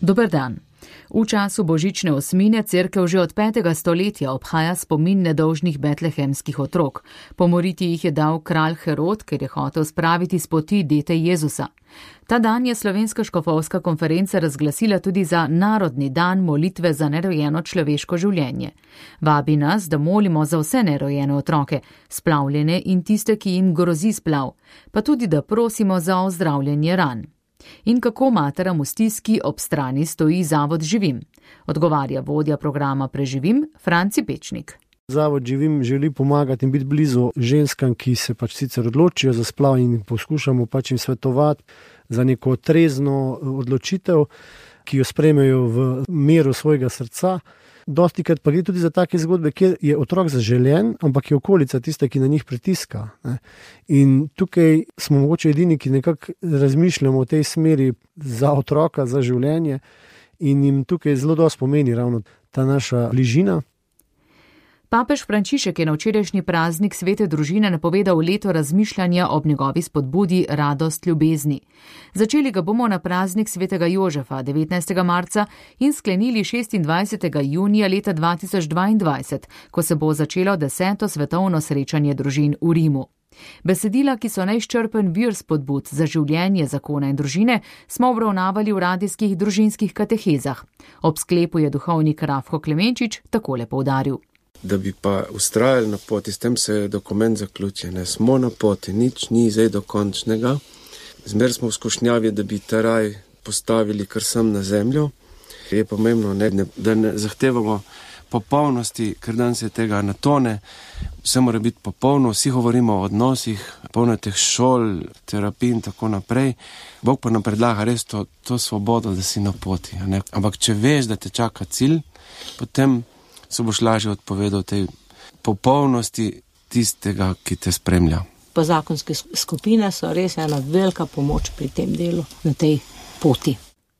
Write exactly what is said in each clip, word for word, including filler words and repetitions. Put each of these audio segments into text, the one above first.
Dober dan. V času božične osmine cerkev že od petega stoletja obhaja spomin nedolžnih betlehemskih otrok. Pomoriti jih je dal kralj Herod, ker je hotel spraviti s poti dete Jezusa. Ta dan je Slovenska škofovska konferenca razglasila tudi za narodni dan molitve za nerojeno človeško življenje. Vabi nas, da molimo za vse nerojene otroke, splavljene in tiste, ki jim grozi splav, pa tudi da prosimo za ozdravljenje ran. In kako materam v stiski ob strani stoji Zavod Živim? Odgovarja vodja programa Preživim, Franci Pečnik. Zavod Živim želi pomagati in biti blizu ženskam, ki se pač sicer odločijo za splav in poskušamo pač jim svetovati za neko trezno odločitev, ki jo sprejmejo v miru svojega srca. Dostikrat pa gre tudi za take zgodbe, kjer je otrok zaželen, ampak je okolica tista, ki na njih pritiska. Ne. In tukaj smo mogoče edini, ki nekako razmišljamo o tej smeri za otroka, za življenje in jim tukaj zelo dosti pomeni ravno ta naša bližina. Papež Frančišek je na včerajšnji praznik svete družine napovedal leto razmišljanja ob njegovi spodbudi Radost ljubezni. Začeli ga bomo na praznik svetega Jožefa devetnajstega marca in sklenili šestindvajsetega junija leta dva tisoč dvaindvajset, ko se bo začelo deseto svetovno srečanje družin v Rimu. Besedila, ki so neizčrpen vir spodbud za življenje, zakona in družine, smo obravnavali v radijskih družinskih katehezah. Ob sklepu je duhovnik Rafko Klemenčič takole poudaril. Da bi pa ustrajali na poti, s tem se je dokument zaključil. Ne, smo na poti, nič ni zdaj dokončnega. Zmer smo v skušnjavi, da bi ta raj postavili kar sem na zemljo. Je pomembno, ne, ne, da ne zahtevamo popolnosti, ker dan se tega natone. Vse mora biti popolno, vsi govorimo o odnosih, polno teh šol, terapij in tako naprej. Bog pa nam predlaga res to, to svobodo, da si na poti. Ne? Ampak če veš, da te čaka cilj, potem se boš lažje odpovedal tej popolnosti tistega, ki te spremlja. Pozakonske skupine so res ena velika pomoč pri tem delu, na tej poti.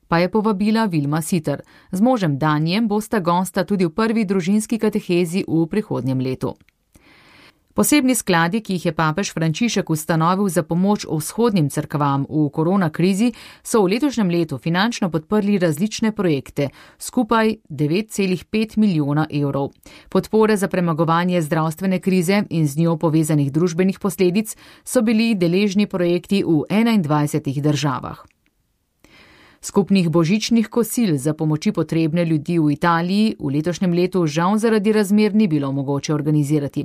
Pa je povabila Vilma Siter. Z možem Danjem bosta gosta tudi v prvi družinski katehezi v prihodnjem letu. Posebni skladi, ki jih je papež Frančišek ustanovil za pomoč vzhodnim cerkvam v korona krizi, so v letošnjem letu finančno podprli različne projekte, skupaj devet celih pet milijona evrov. Podpore za premagovanje zdravstvene krize in z njo povezanih družbenih posledic so bili deležni projekti v enaindvajsetih državah. Skupnih božičnih kosil za pomoči potrebne ljudi v Italiji v letošnjem letu žal zaradi razmer ni bilo mogoče organizirati.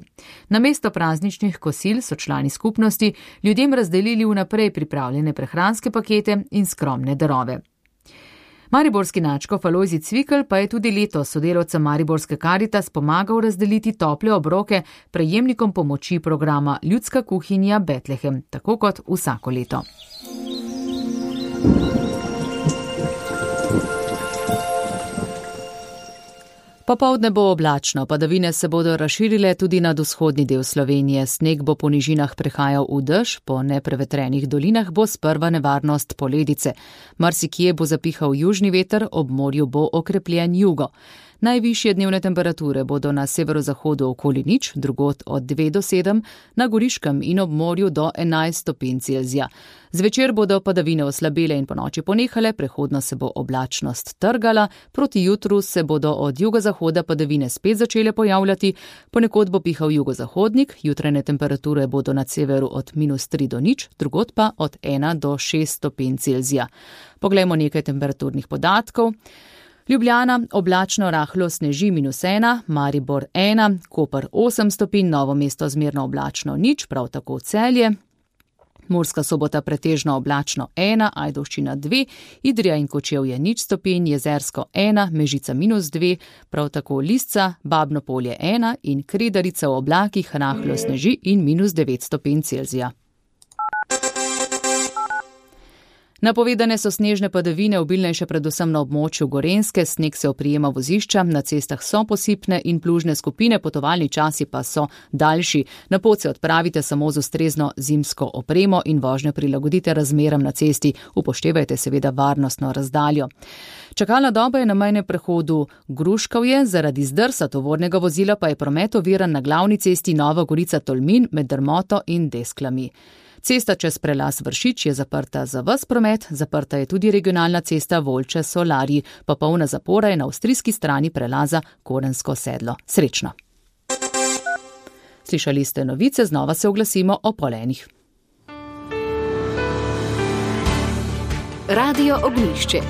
Namesto prazničnih kosil so člani skupnosti ljudem razdelili vnaprej pripravljene prehranske pakete in skromne darove. Mariborski nadškof Alojzij Cvikl pa je tudi letos sodelavcem Mariborske Karitas pomagal razdeliti tople obroke prejemnikom pomoči programa Ljudska kuhinja Betlehem, tako kot vsako leto. Popoldne bo oblačno, padavine se bodo razširile tudi nad vzhodni del Slovenije. Sneg bo po nižinah prehajal v dež, po neprevetrenih dolinah bo sprva nevarnost poledice. Marsikje bo zapihal južni veter, ob morju bo okrepljen jugo. Najvišje dnevne temperature bodo na severozahodu okoli nič, drugod od dve do sedem, na Goriškem in ob morju do enajst stopinj Celzija. Zvečer bodo padavine oslabele in ponoči ponehale, prehodno se bo oblačnost trgala, proti jutru se bodo od jugozahoda padavine spet začele pojavljati, ponekod bo pihal jugozahodnik, jutrajne temperature bodo na severu od minus tri do nič, drugod pa od ena do šest stopinj Celzija. Poglejmo nekaj temperaturnih podatkov. Ljubljana oblačno rahlo sneži minus ena, Maribor ena, Koper osem stopinj, Novo mesto zmerno oblačno nič, prav tako Celje. Murska Sobota pretežno oblačno ena, Ajdovščina dve, Idrija in Kočevje nič stopinj, Jezersko ena, Mežica minus dve, prav tako Lisca, Babno Polje ena in Kredarica v oblakih rahlo sneži in minus devet stopinj Celzija. Napovedane so snežne padavine, obilnejše predvsem na območju Gorenjske, sneg se oprijema vozišča, na cestah so posipne in plužne skupine, potovalni časi pa so daljši. Na pot se odpravite samo z ustrezno zimsko opremo in vožnjo prilagodite razmeram na cesti, upoštevajte seveda varnostno razdaljo. Čakalna doba je na mejnem prehodu Gruškovje, zaradi zdrsa tovornega vozila pa je promet oviran na glavni cesti Nova Gorica Tolmin med Drmoto in Desklami. Cesta čez prelaz Vršič je zaprta za ves promet, zaprta je tudi regionalna cesta Volče-Solari, popolna zapora je na avstrijski strani prelaza Korensko sedlo. Srečno! Slišali ste novice, znova se oglasimo o pol enih. Radio Ognjišče.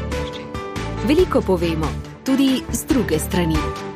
Veliko povemo, tudi z druge strani.